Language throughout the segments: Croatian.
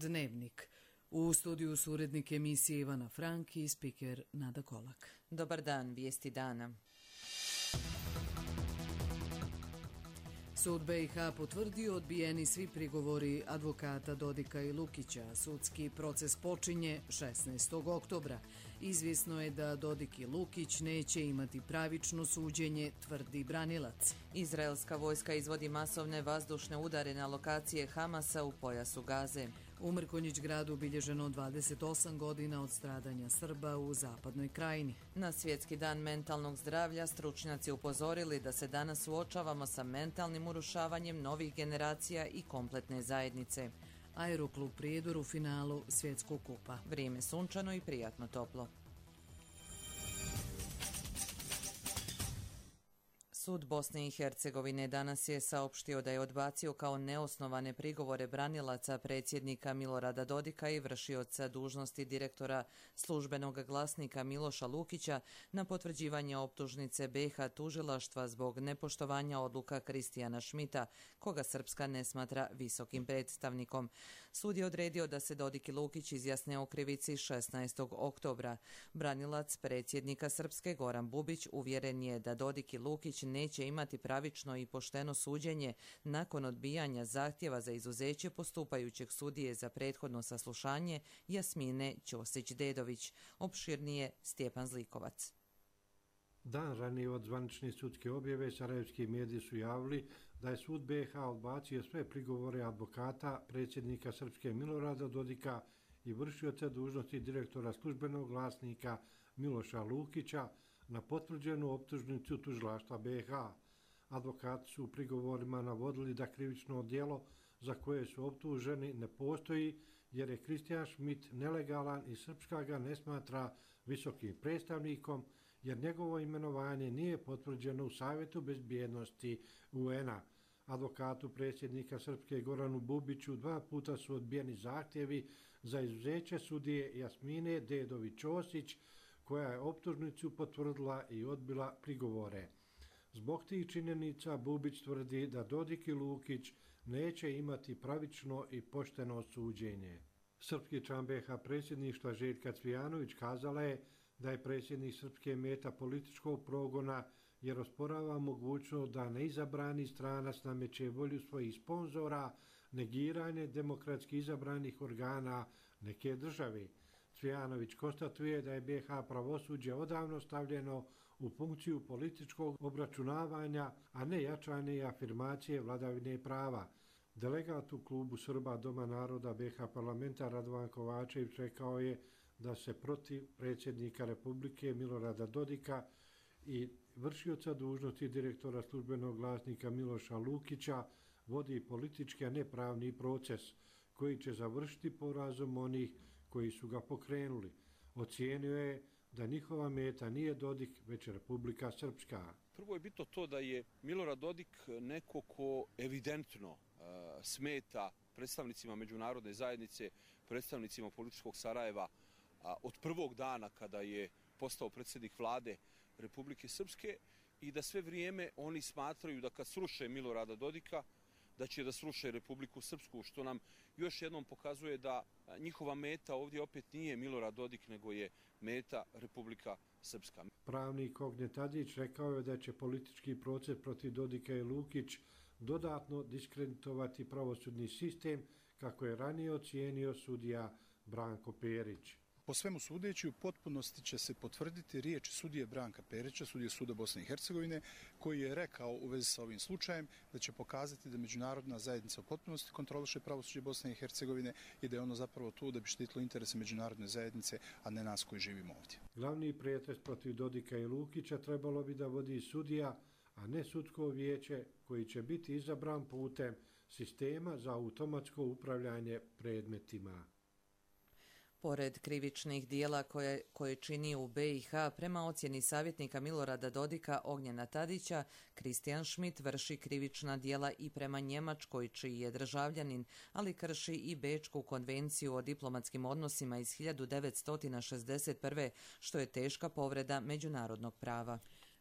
Dnevnik. U studiju su urednik emisije Ivana Frank i spiker Nada Kolak. Dobar dan, vijesti dana. Sud BiH potvrdio odbijeni svi prigovori advokata Dodika i Lukića. Sudski proces počinje 16. oktobra. Izvjesno je da Dodik i Lukić neće imati pravično suđenje, tvrdi branilac. Izraelska vojska izvodi masovne vazdušne udare na lokacije Hamasa u pojasu Gaze. U Mrkonjić gradu obilježeno 28 godina od stradanja Srba u zapadnoj krajini. Na Svjetski dan mentalnog zdravlja stručnjaci upozorili da se danas suočavamo sa mentalnim urušavanjem novih generacija i kompletne zajednice. Aeroklub Prijedor u finalu Svjetskog kupa. Vrijeme sunčano i prijatno toplo. Sud Bosne i Hercegovine danas je saopštio da je odbacio kao neosnovane prigovore branilaca predsjednika Milorada Dodika i vršioca dužnosti direktora službenog glasnika Miloša Lukića na potvrđivanje optužnice BiH tužilaštva zbog nepoštovanja odluka Kristijana Šmita, koga Srpska ne smatra visokim predstavnikom. Sud je odredio da se Dodik i Lukić izjasne o krivici 16. oktobra. Branilac predsjednika Srpske Goran Bubić uvjeren je da Dodik i Lukić neće imati pravično i pošteno suđenje nakon odbijanja zahtjeva za izuzeće postupajućeg sudije za prethodno saslušanje Jasmine Ćosić-Dedović. Opširnije Stjepan Zlikovac. Dan ranije od zvanične sudske objave sarajevski mediji su javili da je sud BiH odbacio sve prigovore advokata predsjednika Srpske Milorada Dodika i vršioca dužnosti direktora službenog glasnika Miloša Lukića na potvrđenu optužnicu tužilaštva BiH. Advokati su u prigovorima navodili da krivično djelo za koje su optuženi ne postoji jer je Kristijan Šmit nelegalan i Srpska ga ne smatra visokim predstavnikom jer njegovo imenovanje nije potvrđeno u Savjetu bezbjednosti UN-a. Advokatu predsjednika Srpske Goranu Bubiću 2 puta su odbijeni zahtjevi za izuzeće sudije Jasmine Dedović-Ćosić, koja je optužnicu potvrdila i odbila prigovore. Zbog tih činjenica Bubić tvrdi da Dodik i Lukić neće imati pravično i pošteno suđenje. Srpski član BiH predsjedništva Željka Cvijanović kazala je da je predsjednik Srpske meta političkog progona jer osporava mogućnost da neizabrani stranac nameće volju svojih sponzora, negiranje demokratski izabranih organa neke države. Cvijanović konstatuje da je BiH pravosuđe odavno stavljeno u funkciju političkog obračunavanja, a ne jačanje i afirmacije vladavine prava. Delegat u klubu Srba Doma naroda BiH parlamenta Radovan Kovačević rekao je da se protiv predsjednika Republike Milorada Dodika i vršioca dužnosti direktora službenog glasnika Miloša Lukića vodi politički, a ne pravni proces koji će završiti porazom onih koji su ga pokrenuli. Ocijenio je da njihova meta nije Dodik, već Republika Srpska. Prvo je bitno to da je Milorad Dodik neko ko evidentno smeta predstavnicima međunarodne zajednice, predstavnicima političkog Sarajeva od prvog dana kada je postao predsjednik vlade Republike Srpske i da sve vrijeme oni smatraju da kad sruše Milorada Dodika, da će da sruše Republiku Srpsku, što nam još jednom pokazuje da njihova meta ovdje opet nije Milorad Dodik, nego je meta Republika Srpska. Pravnik Ognjen Tadić rekao je da će politički proces protiv Dodika i Lukić dodatno diskreditovati pravosudni sistem, kako je ranije ocijenio sudija Branko Perić. Po svemu sudeći, u potpunosti će se potvrditi riječ sudije Branka Perića, sudije Suda Bosne i Hercegovine, koji je rekao u vezi sa ovim slučajem da će pokazati da međunarodna zajednica u potpunosti kontroliše pravosuđe Bosne i Hercegovine i da je ono zapravo tu da bi štitilo interese međunarodne zajednice, a ne nas koji živimo ovdje. Glavni pretres protiv Dodika i Lukića trebalo bi da vodi sudija, a ne sudsko vijeće koji će biti izabran putem sistema za automatsko upravljanje predmetima. Pored krivičnih dijela koje čini u BiH, prema ocjeni savjetnika Milorada Dodika Ognjena Tadića, Kristijan Šmit vrši krivična dijela i prema Njemačkoj, čiji je državljanin, ali krši i Bečku konvenciju o diplomatskim odnosima iz 1961. što je teška povreda međunarodnog prava.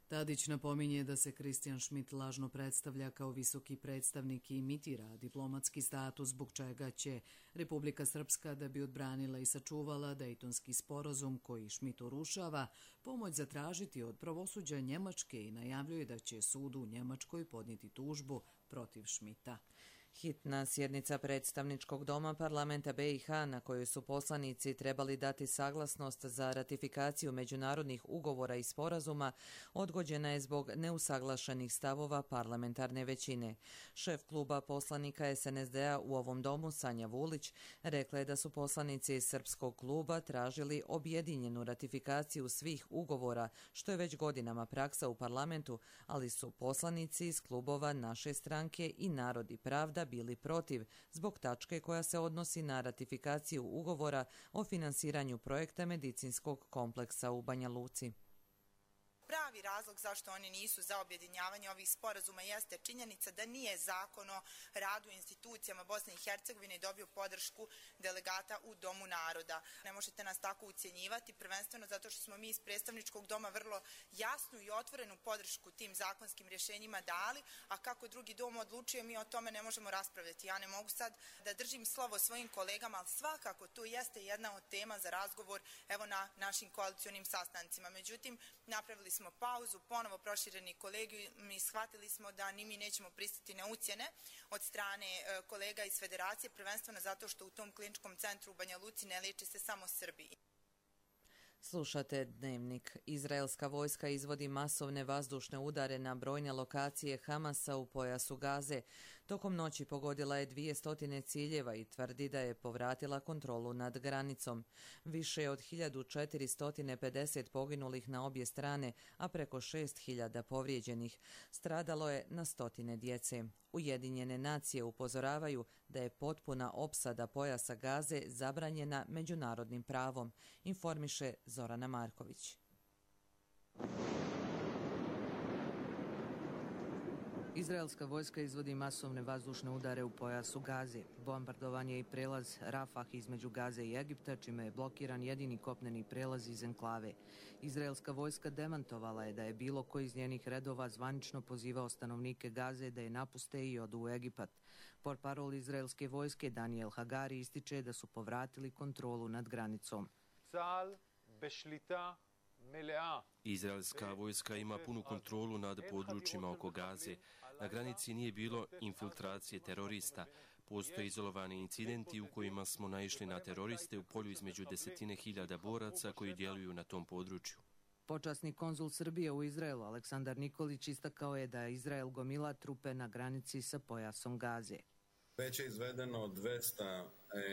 Tadić napominje da se Kristijan Šmit lažno predstavlja kao visoki predstavnik i imitira diplomatski status, zbog čega će Republika Srpska, da bi odbranila i sačuvala Dejtonski sporazum koji Šmit urušava, pomoć zatražiti od pravosuđa Njemačke i najavljuje da će sud u Njemačkoj podnijeti tužbu protiv Šmita. Hitna sjednica predstavničkog doma parlamenta BiH na kojoj su poslanici trebali dati saglasnost za ratifikaciju međunarodnih ugovora i sporazuma odgođena je zbog neusaglašenih stavova parlamentarne većine. Šef kluba poslanika SNSD-a u ovom domu, Sanja Vulić, rekla je da su poslanici iz srpskog kluba tražili objedinjenu ratifikaciju svih ugovora, što je već godinama praksa u parlamentu, ali su poslanici iz klubova naše stranke i Narod i pravda bili protiv zbog tačke koja se odnosi na ratifikaciju ugovora o finansiranju projekta medicinskog kompleksa u Banja Luci. Pravi razlog zašto oni nisu za objedinjavanje ovih sporazuma jeste činjenica da nije zakon o radu institucijama Bosne i Hercegovine dobio podršku delegata u Domu naroda. Ne možete nas tako ucjenjivati, prvenstveno zato što smo mi iz predstavničkog doma vrlo jasnu i otvorenu podršku tim zakonskim rješenjima dali, a kako drugi dom odlučuje, mi o tome ne možemo raspravljati. Ja ne mogu sad da držim slovo svojim kolegama, ali svakako to jeste jedna od tema za razgovor evo na našim koalicionim sastancima. Međutim, napravili smo pauzu, ponovo prošireni kolegijum i shvatili smo da ni mi nećemo pristati na ucjene od strane kolega iz Federacije, prvenstveno zato što u tom kliničkom centru u Banja Luci ne liječe se samo Srbi. Slušate Dnevnik. Izraelska vojska izvodi masovne vazdušne udare na brojne lokacije Hamasa u pojasu Gaze. Tokom noći pogodila je 200 ciljeva i tvrdi da je povratila kontrolu nad granicom. Više od 1450 poginulih na obje strane, a preko 6000 povrijeđenih. Stradalo je na stotine djece. Ujedinjene nacije upozoravaju da je potpuna opsada pojasa Gaze zabranjena međunarodnim pravom, informiše Zorana Marković. Izraelska vojska izvodi masovne vazdušne udare u pojasu Gaze. Bombardovan je i prelaz Rafah između Gaze i Egipta, čime je blokiran jedini kopneni prelaz iz enklave. Izraelska vojska demantovala je da je bilo ko iz njenih redova zvanično pozivao stanovnike Gaze da je napuste i odu u Egipat. Portparol izraelske vojske Daniel Hagari ističe da su povratili kontrolu nad granicom. Izraelska vojska ima punu kontrolu nad područjima oko Gaze. Na granici nije bilo infiltracije terorista. Postoje izolovani incidenti u kojima smo naišli na teroriste u polju između 10.000 boraca koji djeluju na tom području. Počasni konzul Srbije u Izraelu Aleksandar Nikolić istakao je da Izrael gomila trupe na granici sa pojasom Gaze. Već je izvedeno 200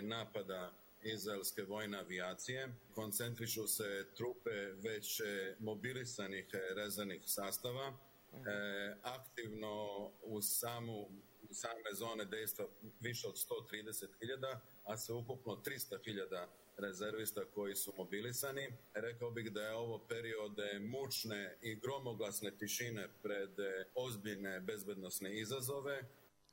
napada izraelske vojne avijacije. Koncentrišu se trupe već mobilisanih rezervnih sastava. Aktivno u same zone dejstva više od 130.000, a sve ukupno 300.000 rezervista koji su mobilisani. Rekao bih da je ovo period mučne i gromoglasne tišine pred ozbiljne bezbednosne izazove.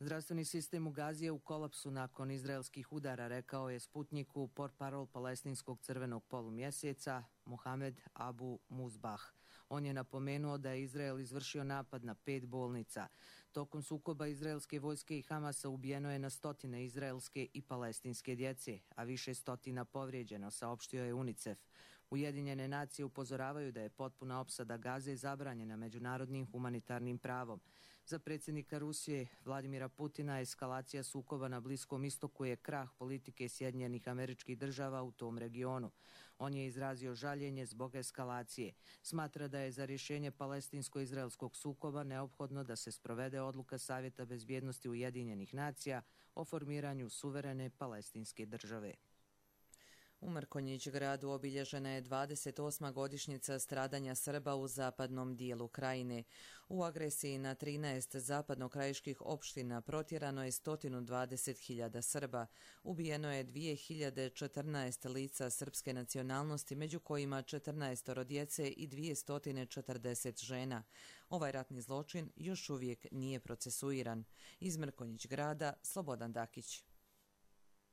Zdravstveni sistem u Gazi je u kolapsu nakon izraelskih udara, rekao je Sputniku portparol palestinskog crvenog polumjeseca Mohamed Abu Muzbah. On je napomenuo da je Izrael izvršio napad na 5 bolnica. Tokom sukoba izraelske vojske i Hamasa ubijeno je na stotine izraelske i palestinske djece, a više stotina povrijeđeno, saopštio je UNICEF. Ujedinjene nacije upozoravaju da je potpuna opsada Gaze zabranjena međunarodnim humanitarnim pravom. Za predsjednika Rusije Vladimira Putina eskalacija sukoba na Bliskom istoku je krah politike Sjedinjenih Američkih Država u tom regionu. On je izrazio žaljenje zbog eskalacije. Smatra da je za rješenje palestinsko-izraelskog sukoba neophodno da se sprovede odluka Savjeta bezbjednosti Ujedinjenih nacija o formiranju suverene palestinske države. U Mrkonjić gradu obilježena je 28. godišnjica stradanja Srba u zapadnom dijelu krajine. U agresiji na 13 zapadnokrajiških opština protjerano je 120.000 Srba. Ubijeno je 2014 lica srpske nacionalnosti, među kojima 14 djece i 240 žena. Ovaj ratni zločin još uvijek nije procesuiran. Iz Mrkonjić grada Slobodan Dakić.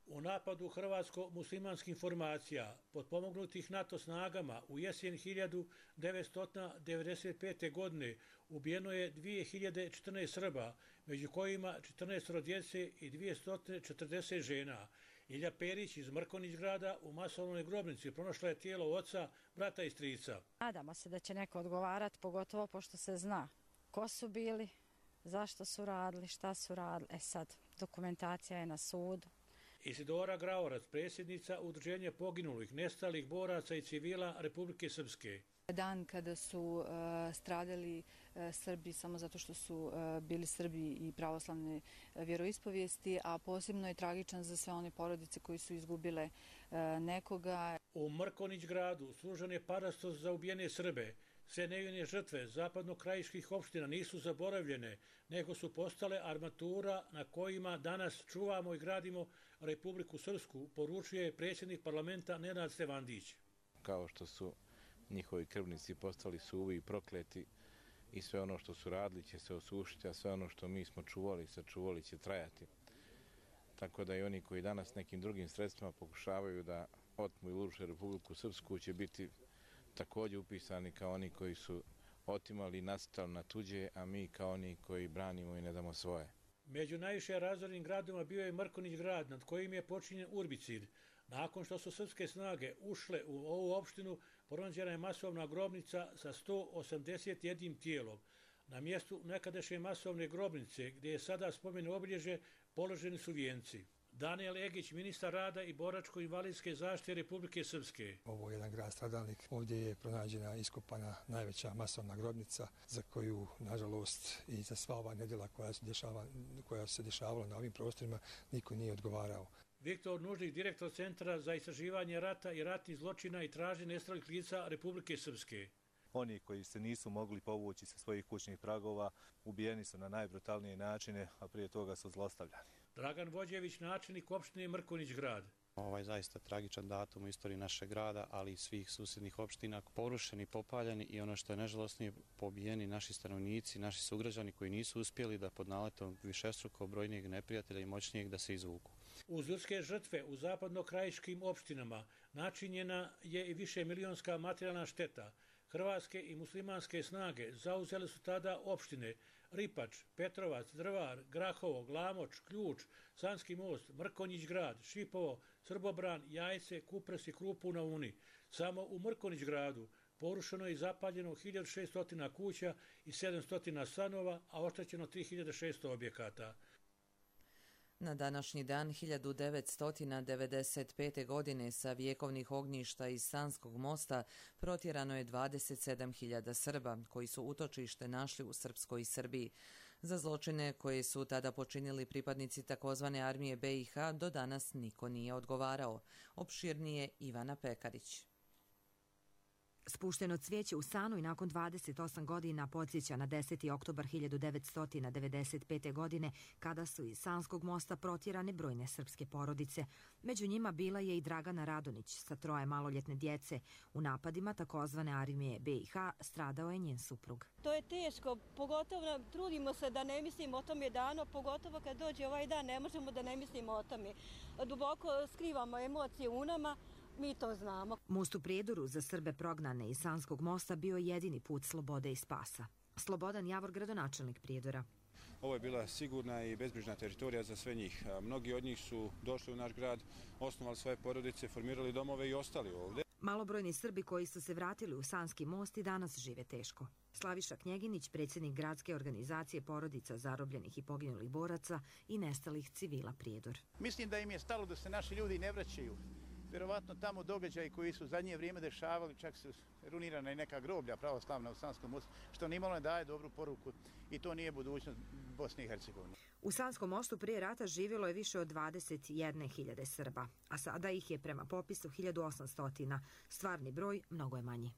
U napadu hrvatsko-muslimanskih formacija, potpomognutih NATO snagama, u jesen 1995. godine ubijeno je 2014 Srba, među kojima 14 djece i 240 žena. Ilja Perić iz Mrkonjić-grada u masovnoj grobnici pronašla je tijelo oca, brata i strica. Nadamo se da će neko odgovarati, pogotovo pošto se zna ko su bili, zašto su radili, šta su radili. Sad, dokumentacija je na sudu. Isidora Graorac, predsjednica Udruženja poginulih, nestalih boraca i civila Republike Srpske. Dan kada su stradali Srbi samo zato što su bili Srbi i pravoslavne vjeroispovijesti, a posebno je tragičan za sve one porodice koji su izgubile nekoga. U Mrkonjić-gradu služen je parastos za ubijene Srbe. Sve nevine žrtve zapadno-krajiških opština nisu zaboravljene, nego su postale armatura na kojima danas čuvamo i gradimo Republiku Srpsku, poručuje predsjednik parlamenta Nenad Stevandić. Kao što su njihovi krvnici postali suvi i prokleti i sve ono što su radili će se osušiti, a sve ono što mi smo čuvali i sačuvali će trajati. Tako da i oni koji danas nekim drugim sredstvima pokušavaju da otmu i uruše Republiku Srpsku će biti također upisani kao oni koji su otimali i nasrtali na tuđe, a mi kao oni koji branimo i ne damo svoje. Među najviše razornim gradima bio je Mrkonjić-grad, nad kojim je počinjen urbicid. Nakon što su srpske snage ušle u ovu opštinu, pronađena je masovna grobnica sa 181 tijelom. Na mjestu nekadašnje masovne grobnice, gdje je sada spomen obilježje, položeni su vijenci. Daniel Egić, ministar rada i boračko-invalidske zaštite Republike Srpske. Ovo je jedan grad stradalnik. Ovdje je pronađena iskopana najveća masovna grobnica za koju, nažalost, i za sva ova nedjela koja se dešavala na ovim prostorima, niko nije odgovarao. Viktor Nužnik, direktor Centra za istraživanje rata i ratnih zločina i traženje nestalih lica Republike Srpske. Oni koji se nisu mogli povući sa svojih kućnih pragova ubijeni su na najbrutalnije načine, a prije toga su zlostavljani. Dragan Vođević, načelnik opštine Mrkonjić-grad. Ovo je zaista tragičan datum u istoriji našeg grada, ali i svih susjednih opština, porušeni, popaljeni i ono što je najžalosnije, pobijeni naši stanovnici, naši sugrađani koji nisu uspjeli da pod naletom višestruko brojnijeg neprijatelja i moćnijeg da se izvuku. Uz ljudske žrtve u zapadno-krajiškim opštinama načinjena je i višemilionska materijalna šteta. Hrvatske i muslimanske snage zauzele su tada opštine Ripač, Petrovac, Drvar, Grahovo, Glamoč, Ključ, Sanski most, Mrkonjić-grad, Šipovo, Srbobran, Jajce, Kupres i Krupu na Uni. Samo u Mrkonjić-gradu porušeno je i zapaljeno 1600 kuća i 700 stanova, a oštećeno 3600 objekata. Na današnji dan 1995. godine sa vjekovnih ognjišta iz Sanskog mosta protjerano je 27.000 Srba, koji su utočište našli u Srpskoj Srbiji. Za zločine koje su tada počinili pripadnici takozvane armije BiH do danas niko nije odgovarao. Opširnije Ivana Pekarić. Spušteno cvijeće u Sanu i nakon 28 godina podsjeća na 10. oktobar 1995. godine kada su iz Sanskog mosta protjerane brojne srpske porodice. Među njima bila je i Dragana Radonić sa 3 maloljetne djece. U napadima takozvane armije BiH stradao je njen suprug. To je teško, pogotovo trudimo se da ne mislimo o tome danu, pogotovo kad dođe ovaj dan ne možemo da ne mislimo o tome. Duboko skrivamo emocije u nama. Mi to znamo. Most u Prijedoru za Srbe prognane iz Sanskog mosta bio jedini put slobode i spasa. Slobodan Javor, gradonačelnik Prijedora. Ovo je bila sigurna i bezbrižna teritorija za sve njih. Mnogi od njih su došli u naš grad, osnovali svoje porodice, formirali domove i ostali ovdje. Malobrojni Srbi koji su se vratili u Sanski most i danas žive teško. Slaviša Knjeginić, predsjednik gradske organizacije porodica zarobljenih i poginulih boraca i nestalih civila Prijedor. Mislim da im je stalo da se naši ljudi ne vraćaju. Vjerovatno tamo događaji koji su zadnje vrijeme dešavali, čak su runirana i neka groblja pravoslavna u Sanskom mostu, što nimalo ne daje dobru poruku i to nije budućnost Bosne i Hercegovine. U Sanskom mostu prije rata živjelo je više od 21.000 Srba, a sada ih je prema popisu 1800. Stvarni broj mnogo je manji.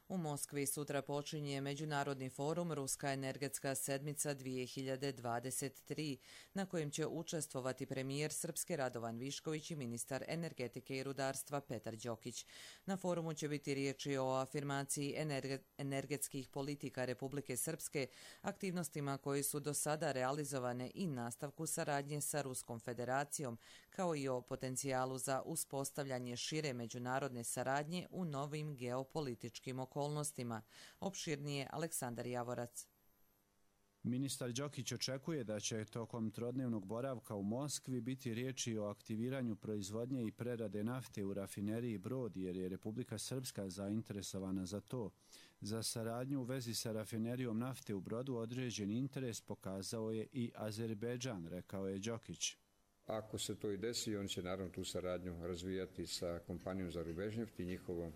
U Moskvi sutra počinje Međunarodni forum Ruska energetska sedmica 2023, na kojem će učestvovati premijer Srpske Radovan Višković i ministar energetike i rudarstva Petar Đokić. Na forumu će biti riječi o afirmaciji energetskih politika Republike Srpske, aktivnostima koji su do sada realizovane i nastavku saradnje sa Ruskom federacijom, kao i o potencijalu za uspostavljanje šire međunarodne saradnje u novim geopolitičkim okolnostima. Opširnije Aleksandar Javorac. Ministar Đokić očekuje da će tokom trodnevnog boravka u Moskvi biti riječi o aktiviranju proizvodnje i prerade nafte u rafineriji Brod, jer je Republika Srpska zainteresovana za to. Za saradnju u vezi sa rafinerijom nafte u Brodu određen interes pokazao je i Azerbejdžan, rekao je Đokić. Ako se to i desi, on će naravno tu saradnju razvijati sa kompanijom za Rubežnjeft i njihovom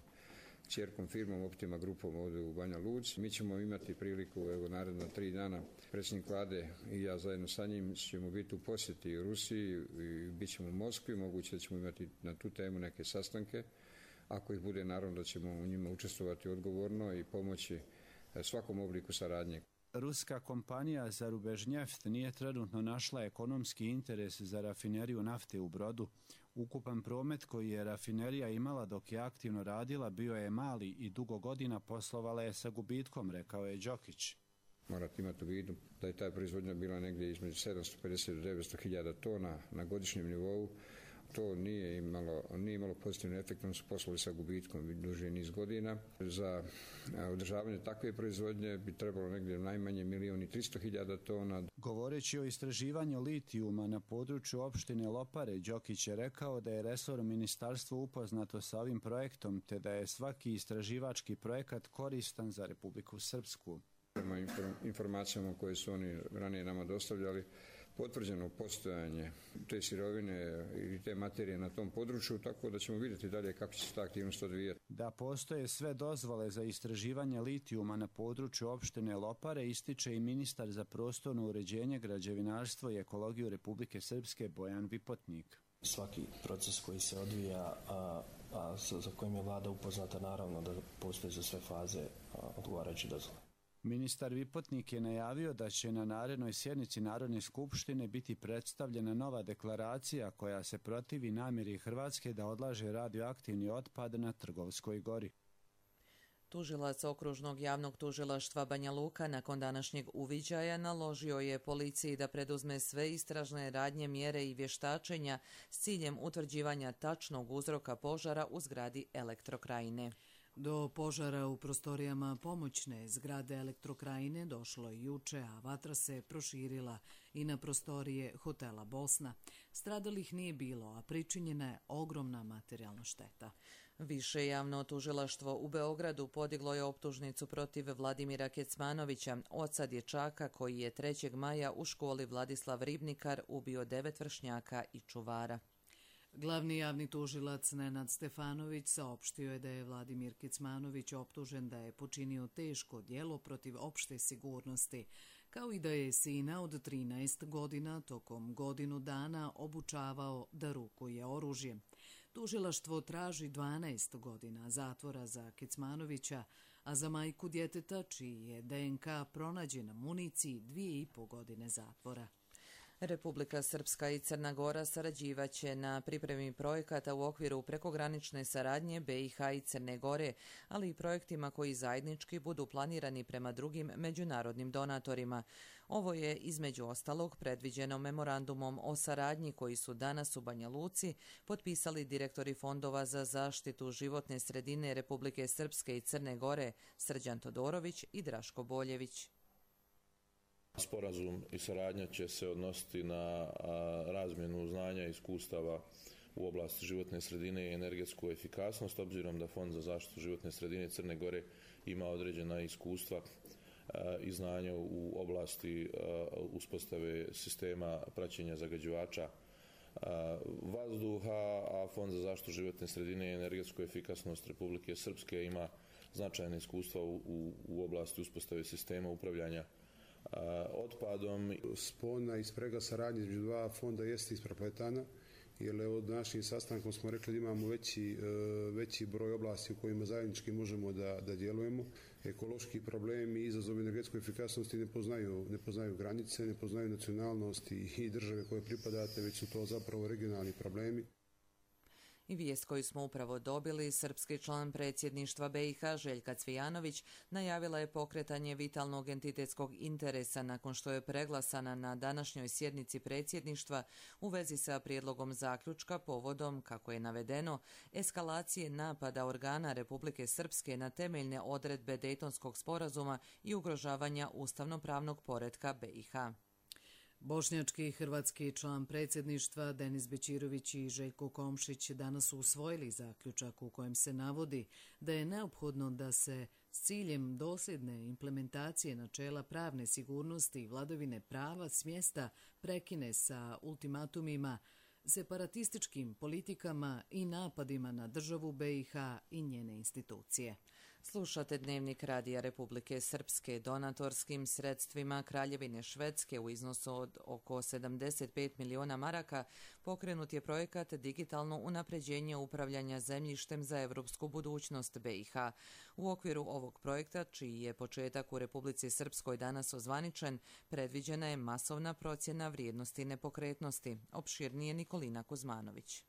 kćerkom firmom Optima grupom ovdje u Banja Luci. Mi ćemo imati priliku, evo naredna 3 dana, predsjednik vlade i ja zajedno sa njim ćemo biti u posjeti u Rusiji i bit ćemo u Moskvi. Moguće da ćemo imati na tu temu neke sastanke. Ako ih bude, naravno da ćemo u njima učestvovati odgovorno i pomoći svakom obliku saradnje. Ruska kompanija za Rubežnjeft nije trenutno našla ekonomski interes za rafineriju nafte u Brodu. Ukupan promet koji je rafinerija imala dok je aktivno radila bio je mali i dugo godina poslovala je sa gubitkom, rekao je Đokić. Morate imati u vidu da je ta proizvodnja bila negdje između 750 do 900 hiljada tona na godišnjem nivou. To nije imalo pozitivni efekt, oni su poslovali sa gubitkom duži niz godina. Za održavanje takve proizvodnje bi trebalo negdje najmanje 1.300.000 tona. Govoreći o istraživanju litijuma na području opštine Lopare, Đokić je rekao da je resor ministarstva upoznato sa ovim projektom, te da je svaki istraživački projekat koristan za Republiku Srpsku. Prema informacijama koje su oni ranije nama dostavljali, potvrđeno postojanje te sirovine i te materije na tom području, tako da ćemo vidjeti dalje kako će se ta aktivnost odvijati. Da postoje sve dozvole za istraživanje litijuma na području opštine Lopare, ističe i ministar za prostorno uređenje, građevinarstvo i ekologiju Republike Srpske Bojan Vipotnik. Svaki proces koji se odvija, a za kojim je vlada upoznata, naravno da postoje za sve faze odgovarajuće dozvole. Ministar Vipotnik je najavio da će na narednoj sjednici Narodne skupštine biti predstavljena nova deklaracija koja se protivi namjeri Hrvatske da odlaže radioaktivni otpad na Trgovskoj gori. Tužilac Okružnog javnog tužilaštva Banja Luka nakon današnjeg uviđaja naložio je policiji da preduzme sve istražne radnje, mjere i vještačenja s ciljem utvrđivanja tačnog uzroka požara u zgradi Elektrokrajine. Do požara u prostorijama pomoćne zgrade Elektrokrajine došlo je juče, a vatra se proširila i na prostorije hotela Bosna. Stradalih nije bilo, a pričinjena je ogromna materijalna šteta. Više javno tužilaštvo u Beogradu podiglo je optužnicu protiv Vladimira Kecmanovića, oca dječaka koji je 3. maja u školi Vladislav Ribnikar ubio 9 vršnjaka i čuvara. Glavni javni tužilac Nenad Stefanović saopštio je da je Vladimir Kecmanović optužen da je počinio teško djelo protiv opšte sigurnosti, kao i da je sina od 13 godina tokom godinu dana obučavao da rukuje oružjem. Tužilaštvo traži 12 godina zatvora za Kecmanovića, a za majku djeteta, čiji je DNK pronađen na municiji, 2,5 godine zatvora. Republika Srpska i Crna Gora sarađivaće na pripremi projekata u okviru prekogranične saradnje BiH i Crne Gore, ali i projektima koji zajednički budu planirani prema drugim međunarodnim donatorima. Ovo je između ostalog predviđeno memorandumom o saradnji koji su danas u Banja Luci potpisali direktori fondova za zaštitu životne sredine Republike Srpske i Crne Gore Srđan Todorović i Draško Boljević. Sporazum i saradnja će se odnositi na razmjenu znanja i iskustava u oblasti životne sredine i energetsku efikasnost, obzirom da Fond za zaštitu životne sredine Crne Gore ima određena iskustva i znanja u oblasti uspostave sistema praćenja zagađivača vazduha, a Fond za zaštitu životne sredine i energetsku efikasnost Republike Srpske ima značajne iskustva u oblasti uspostave sistema upravljanja otpadom. Spona i sprega saradnje između dva fonda jeste isprepletana jer od našim sastankom smo rekli da imamo veći broj oblasti u kojima zajednički možemo da djelujemo. Ekološki problemi i izazovi energetske efikasnosti ne poznaju granice, ne poznaju nacionalnosti i države koje pripadate, već su to zapravo regionalni problemi. I vijest koju smo upravo dobili, srpski član predsjedništva BiH Željka Cvijanović najavila je pokretanje vitalnog entitetskog interesa nakon što je preglasana na današnjoj sjednici predsjedništva u vezi sa prijedlogom zaključka povodom, kako je navedeno, eskalacije napada organa Republike Srpske na temeljne odredbe Dejtonskog sporazuma i ugrožavanja ustavno-pravnog poretka BiH. Bošnjački i hrvatski član predsjedništva Denis Bećirović i Željko Komšić danas su usvojili zaključak u kojem se navodi da je neophodno da se s ciljem dosljedne implementacije načela pravne sigurnosti i vladavine prava s mjesta prekine sa ultimatumima, separatističkim politikama i napadima na državu BiH i njene institucije. Slušate Dnevnik Radija Republike Srpske. Donatorskim sredstvima Kraljevine Švedske u iznosu od oko 75 miliona maraka pokrenut je projekat Digitalno unapređenje upravljanja zemljištem za evropsku budućnost BiH. U okviru ovog projekta, čiji je početak u Republici Srpskoj danas ozvaničen, predviđena je masovna procjena vrijednosti nepokretnosti. Opširnije Nikolina Kuzmanović.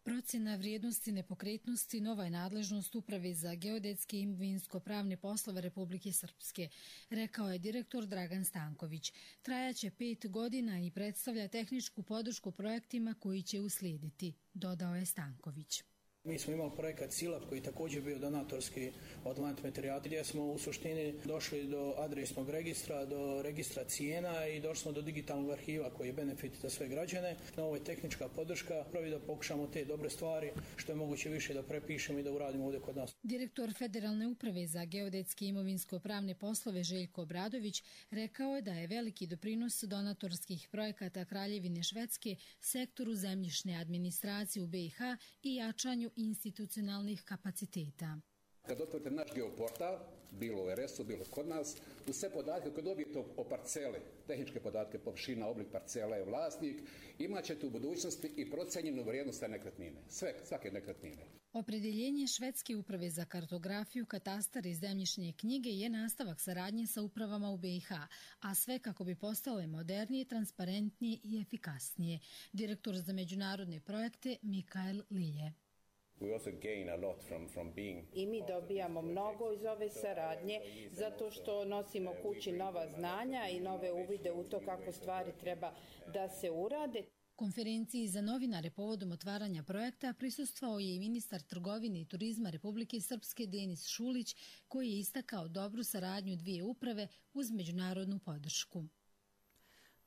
Procjena vrijednosti nepokretnosti nova je nadležnost Uprave za geodetske i imovinsko-pravne poslove Republike Srpske, rekao je direktor Dragan Stanković. Trajaće 5 godina i predstavlja tehničku podršku projektima koji će uslijediti, dodao je Stanković. Mi smo imali projekat SILAP koji također bio donatorski od Land Materijala, gdje smo u suštini došli do adresnog registra, do registra cijena i došli smo do digitalnog arhiva koji je benefit za sve građane. Ovo je tehnička podrška, prvi da pokušamo te dobre stvari što je moguće više da prepišemo i da uradimo ovdje kod nas. Direktor Federalne uprave za geodetske i imovinsko-pravne poslove Željko Obradović rekao je da je veliki doprinos donatorskih projekata Kraljevine Švedske sektoru zemljišne administracije u BiH i jačanju institucionalnih kapaciteta. Kad otvorite naš geoportal, bilo u RS-u, bilo kod nas, u sve podatke koje dobijete o parcele, tehničke podatke, površina, oblik parcela je vlasnik, imat ćete u budućnosti i procenjenu vrijednost te nekretnine, svake nekretnine. Opredeljenje Švedske uprave za kartografiju, katastar i zemljišne knjige je nastavak saradnje sa upravama u BiH, a sve kako bi postale modernije, transparentnije i efikasnije. Direktor za međunarodne projekte Mikael Lilje. I mi dobijamo mnogo iz ove saradnje zato što nosimo kući nova znanja i nove uvide u to kako stvari treba da se urade. Konferenciji za novinare povodom otvaranja projekta prisustvovao je i ministar trgovine i turizma Republike Srpske Denis Šulić, koji je istakao dobru saradnju dvije uprave uz međunarodnu podršku.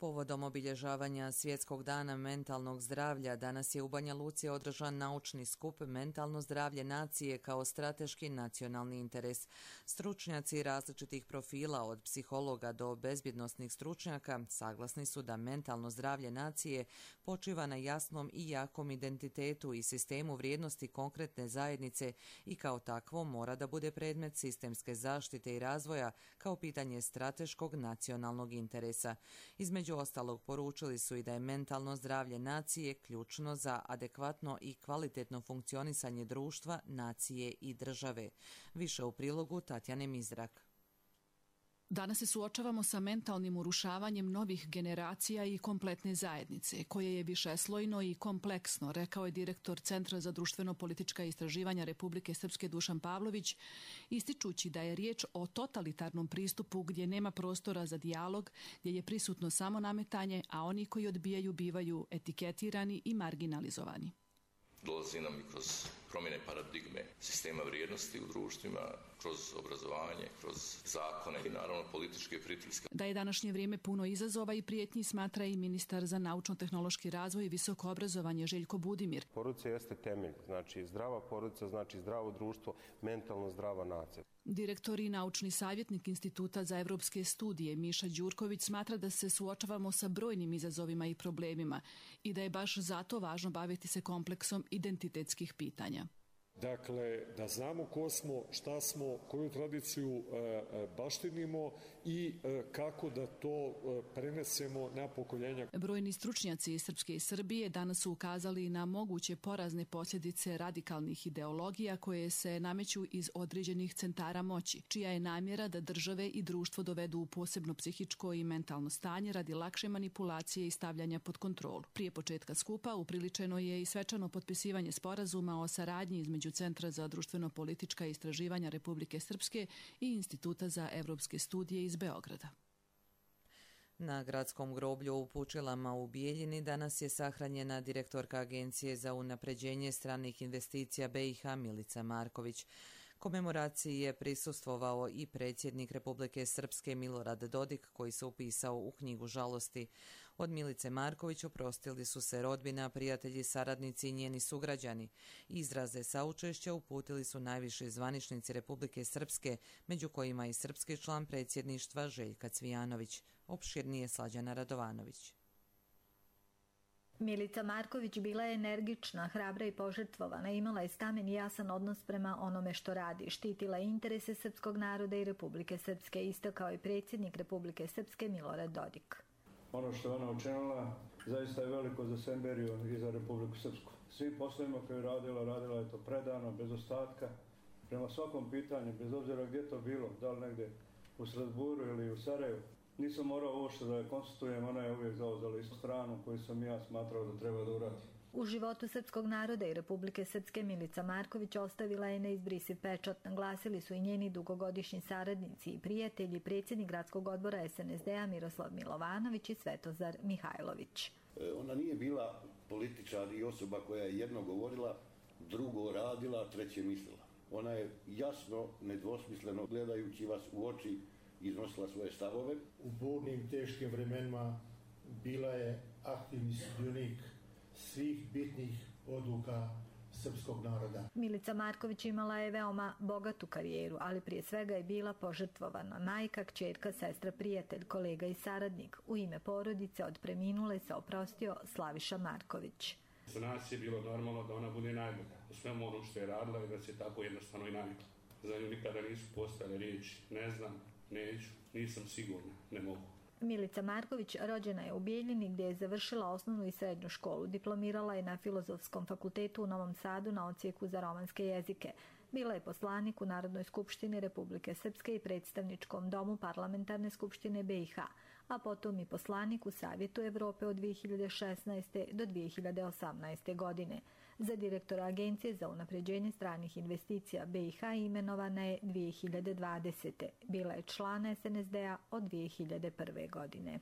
Povodom obilježavanja Svjetskog dana mentalnog zdravlja danas je u Banja Luci održan naučni skup Mentalno zdravlje nacije kao strateški nacionalni interes. Stručnjaci različitih profila od psihologa do bezbjednosnih stručnjaka saglasni su da mentalno zdravlje nacije počiva na jasnom i jakom identitetu i sistemu vrijednosti konkretne zajednice i kao takvo mora da bude predmet sistemske zaštite i razvoja kao pitanje strateškog nacionalnog interesa. Između ostalog poručili su i da je mentalno zdravlje nacije ključno za adekvatno i kvalitetno funkcionisanje društva, nacije i države. Više u prilogu Tatjane Mizrak. Danas se suočavamo sa mentalnim urušavanjem novih generacija i kompletne zajednice, koje je višeslojno i kompleksno, rekao je direktor Centra za društveno-politička istraživanja Republike Srpske Dušan Pavlović, ističući da je riječ o totalitarnom pristupu gdje nema prostora za dijalog, gdje je prisutno samo nametanje, a oni koji odbijaju bivaju etiketirani i marginalizovani. Dolazi nam i kroz promjene paradigme sistema vrijednosti u društvima, kroz obrazovanje, kroz zakone i naravno političke pritiske. Da je današnje vrijeme puno izazova i prijetnji smatra i ministar za naučno-tehnološki razvoj i visoko obrazovanje Željko Budimir. Porodica jeste temelj, znači zdrava porodica, znači zdravo društvo, mentalno zdrava nacija. Direktor i naučni savjetnik Instituta za evropske studije Miša Đurković smatra da se suočavamo sa brojnim izazovima i problemima i da je baš zato važno baviti se kompleksom identitetskih pitanja. Dakle, da znamo ko smo, šta smo, koju tradiciju baštinimo i kako da to prenesemo na pokoljenja. Brojni stručnjaci iz Srpske i Srbije danas su ukazali na moguće porazne posljedice radikalnih ideologija koje se nameću iz određenih centara moći, čija je namjera da države i društvo dovedu u posebno psihičko i mentalno stanje radi lakše manipulacije i stavljanja pod kontrolu. Prije početka skupa upriličeno je i svečano potpisivanje sporazuma o saradnji između Centra za društveno-politička istraživanja Republike Srpske i Instituta za evropske studije iz Beograda. Na gradskom groblju u Pučilama u Bijeljini danas je sahranjena direktorka Agencije za unapređenje stranih investicija BiH Milica Marković. Komemoraciji je prisustvovao i predsjednik Republike Srpske Milorad Dodik, koji se upisao u knjigu žalosti. Od Milice Marković oprostili su se rodbina, prijatelji, saradnici i njeni sugrađani. Izraze saučešća uputili su najviši zvaničnici Republike Srpske, među kojima i srpski član predsjedništva Željka Cvijanović. Opširnije Slađana Radovanović. Milica Marković bila je energična, hrabra i požrtvovana, imala je stamen i jasan odnos prema onome što radi, štitila je interese srpskog naroda i Republike Srpske, istakao je predsjednik Republike Srpske Milorad Dodik. Ono što je ona učinila zaista je veliko za Semberiju i za Republiku Srpsku. Svim poslovima koje je radila je to predano, bez ostatka, prema svakom pitanju, bez obzira gdje to bilo, da li negdje u Strasburu ili u Sarajevu. Nisam morao uopšte da je konstitujem, ona je uvijek zauzela istu stranu koju sam ja smatrao da treba da uradi. U životu srpskog naroda i Republike Srpske Milica Marković ostavila je neizbrisiv pečat, naglasili su i njeni dugogodišnji saradnici i prijatelji, predsjednik gradskog odbora SNSD-a Miroslav Milovanović i Svetozar Mihajlović. Ona nije bila političar i osoba koja je jedno govorila, drugo radila, treće mislila. Ona je jasno, nedvosmisleno gledajući vas u oči iznosila svoje stavove. U burnim, teškim vremenima bila je aktivni sudionik svih bitnih odluka srpskog naroda. Milica Marković imala je veoma bogatu karijeru, ali prije svega je bila požrtvovana. Majka, kćerka, sestra, prijatelj, kolega i saradnik. U ime porodice od preminule se oprostio Slaviša Marković. Za nas je bilo normalno da ona bude najbolja u svemu onom što je radila i da se tako jednostavno i navikla. Za nju nikada nisu postojale riječi ne znam, neću, nisam sigurna, ne mogu. Milica Marković rođena je u Bijeljini gdje je završila osnovnu i srednju školu. Diplomirala je na Filozofskom fakultetu u Novom Sadu na odsjeku za romanske jezike. Bila je poslanik u Narodnoj skupštini Republike Srpske i predstavničkom domu Parlamentarne skupštine BiH, a potom i poslanik u Savjetu Evrope od 2016. do 2018. godine. Za direktora Agencije za unapređenje stranih investicija BiH imenovana je 2020. Bila je član SNSD-a od 2001. godine.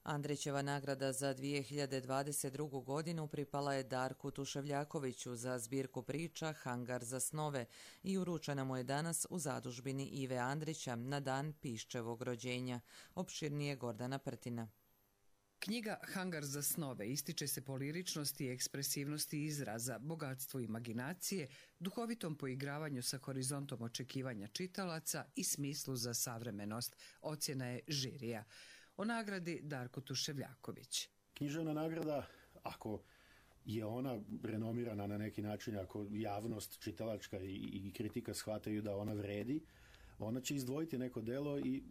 Andrićeva nagrada za 2022. godinu pripala je Darku Tuševljakoviću za zbirku priča Hangar za snove i uručena mu je danas u zadužbini Ive Andrića na dan Piščevog rođenja. Opširnije Gordana Prtina. Knjiga Hangar za snove ističe se po liričnosti i ekspresivnosti izraza, bogatstvu imaginacije, duhovitom poigravanju sa horizontom očekivanja čitalaca i smislu za savremenost, ocjena je žirija. O nagradi Darko Tuševljaković. Književna nagrada, ako je ona renomirana na neki način, ako javnost čitalačka i kritika shvataju da ona vredi, ona će izdvojiti neko delo i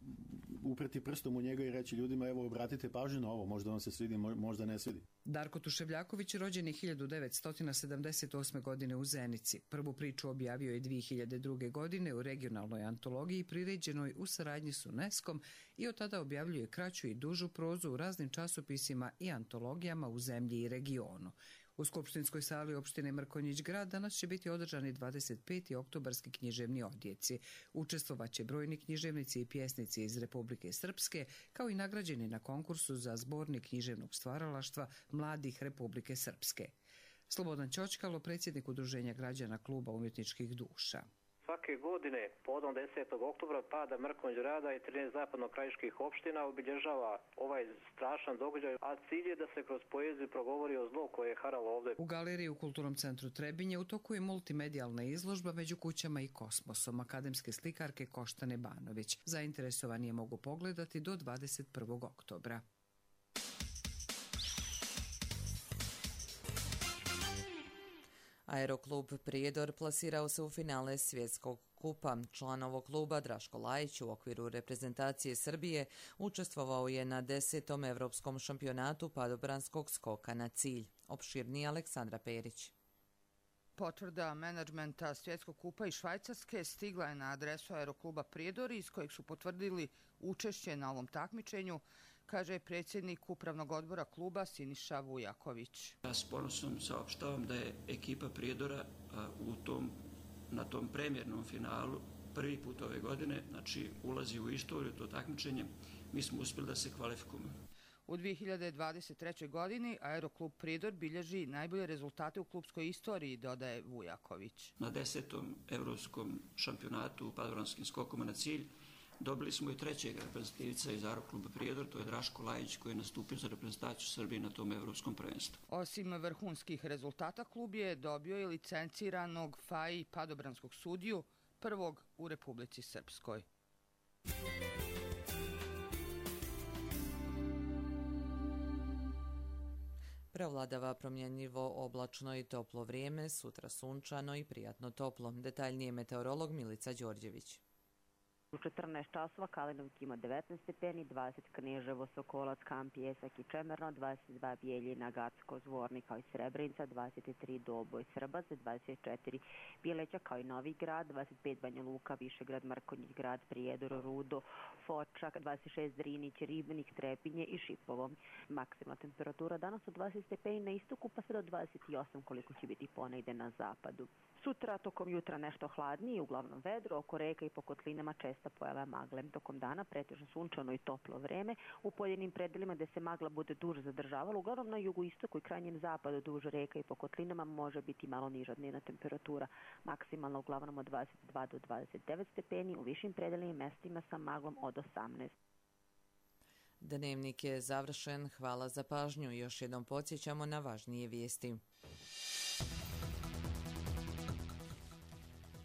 upreti prstom u njega i reći ljudima evo obratite pažnju na ovo, možda vam se svidi, možda ne svidi. Darko Tuševljaković rođen je 1978. godine u Zenici. Prvu priču objavio je 2002. godine u regionalnoj antologiji priređenoj u saradnji s UNESCO-om i od tada objavljuje kraću i dužu prozu u raznim časopisima i antologijama u zemlji i regionu. U Skupštinskoj sali opštine Mrkonjić Grad danas će biti održani 25. oktobarski književni odjeci. Učestvovaće brojni književnici i pjesnici iz Republike Srpske, kao i nagrađeni na konkursu za zbornik književnog stvaralaštva mladih Republike Srpske. Slobodan Ćoćkalo, predsjednik Udruženja građana Kluba umjetničkih duša. Svake godine, povodom 10. oktobra, pada Mrkonjić Grada i 13 zapadno-krajiških opština obilježava ovaj strašan događaj, a cilj je da se kroz poeziju progovori o zlu koje je haralo ovdje. U galeriji u Kulturnom centru Trebinje u toku je multimedijalna izložba Među kućama i kosmosom akademske slikarke Koštane Banović. Zainteresovani je mogu pogledati do 21. oktobra. Aeroklub Prijedor plasirao se u finale svjetskog kupa. Član ovog kluba Draško Lajić u okviru reprezentacije Srbije učestvovao je na 10. Evropskom šampionatu padobranskog skoka na cilj. Opširnije Aleksandra Perić. Potvrda menadžmenta svjetskog kupa iz Švajcarske stigla je na adresu Aerokluba Prijedor, iz kojeg su potvrdili učešće na ovom takmičenju, kaže predsjednik upravnog odbora kluba Siniša Vujaković. Ja s ponosom saopštavam da je ekipa Prijedora na tom premijernom finalu prvi put ove godine, znači ulazi u istoriju to takmičenje, mi smo uspjeli da se kvalifikujemo. U 2023. godini Aeroklub Prijedor bilježi najbolje rezultate u klubskoj istoriji, dodaje Vujaković. Na 10. Evropskom šampionatu u padobranskim skokama na cilj dobili smo i trećeg reprezentativca iz Aerokluba Prijedor, to je Draško Lajić, koji je nastupio za reprezentaciju Srbije na tom evropskom prvenstvu. Osim vrhunskih rezultata, klub je dobio i licenciranog FAI padobranskog sudiju, prvog u Republici Srpskoj. Prevladava promjenjivo oblačno i toplo vrijeme, sutra sunčano i prijatno toplo. Detaljnije meteorolog Milica Đorđević. U 14 časova Kalinovik ima 19 stepeni, 20 Kneževo, Sokolac, Kamp, Pjesak i Čemerno, 22 Bijeljina, Gacko, Zvornik kao i Srebrenica, 23 Doboj, Srbac, 24 Bileća kao i Novi Grad, 25 Banja Luka, Višegrad, Mrkonjić Grad, Prijedor, Rudo, Fočak, 26 Drinić, Ribnik, Trepinje i Šipovo. Maksimalna temperatura danas od 20 stepeni na istoku pa sve do 28 koliko će biti ponegde na zapadu. Sutra tokom jutra nešto hladnije, uglavnom vedro, oko reka i po kotlinama česta pojava magle. Tokom dana pretežno sunčano i toplo vreme, u pojedinim predelima gde se magla bude duže zadržavala, uglavnom na jugoistoku i krajnjem zapadu duž reka i po kotlinama može biti malo niža dnevna temperatura. Maksimalno uglavnom od 22 do 29 stepeni, u višim predelima i mestima sa maglom od 18. Dnevnik je završen. Hvala za pažnju. Još jednom podsjećamo na važnije vijesti.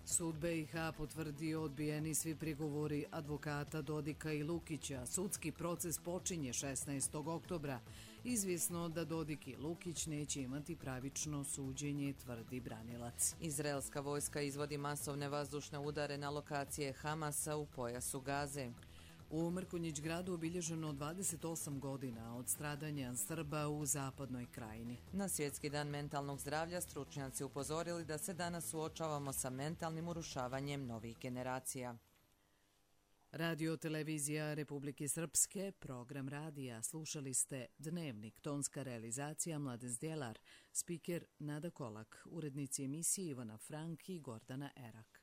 Sud BiH potvrdio odbijeni svi prigovori advokata Dodika i Lukića. Sudski proces počinje 16. oktobra. Izvjesno da Dodik i Lukić neće imati pravično suđenje, tvrdi branilac. Izraelska vojska izvodi masovne vazdušne udare na lokacije Hamasa u pojasu Gaze. U Mrkonjić gradu obilježeno 28 godina od stradanja Srba u zapadnoj krajini. Na Svjetski dan mentalnog zdravlja stručnjaci upozorili da se danas suočavamo sa mentalnim urušavanjem novih generacija. Radio televizija Republike Srpske, program radija. Slušali ste Dnevnik, tonska realizacija Mladen Zdjelar, spiker Nada Kolak, urednici emisije Ivana Frank i Gordana Erak.